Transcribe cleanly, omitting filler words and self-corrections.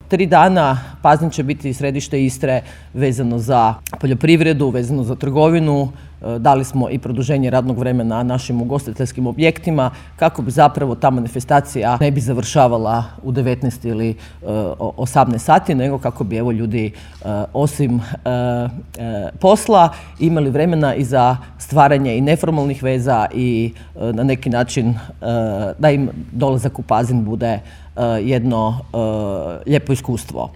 3 dana Pazin će biti središte Istre vezano za poljoprivredu, vezano za trgovinu. Dali smo i produženje radnog vremena našim ugostiteljskim objektima kako bi zapravo ta manifestacija ne bi završavala u 19 ili 18 sati, nego kako bi ljudi osim posla imali vremena i za stvaranje i neformalnih veza i na neki način da im dolazak u Pazin bude jedno lijepo iskustvo.